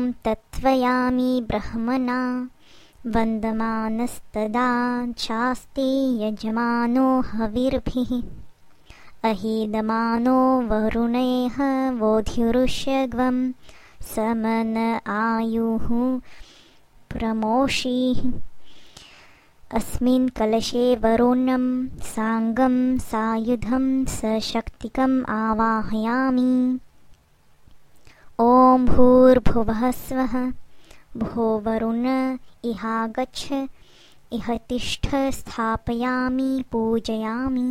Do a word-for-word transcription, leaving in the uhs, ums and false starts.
ॐ तत्त्वयामि ब्रह्मणा वन्दमानस्तदा चास्ते यजमानो हविर्भिः अहीदमानो वरुणैः वोध्युरुष्यग्वं समन आयुः प्रमोषीः अस्मिन् कलशे वरुणं साङ्गं सायुधं सशक्तिकम् आवाहयामि। ॐ भूर्भुवः स्वः भो वरुण इहागच्छ इह तिष्ठ स्थापयामि पूजयामि।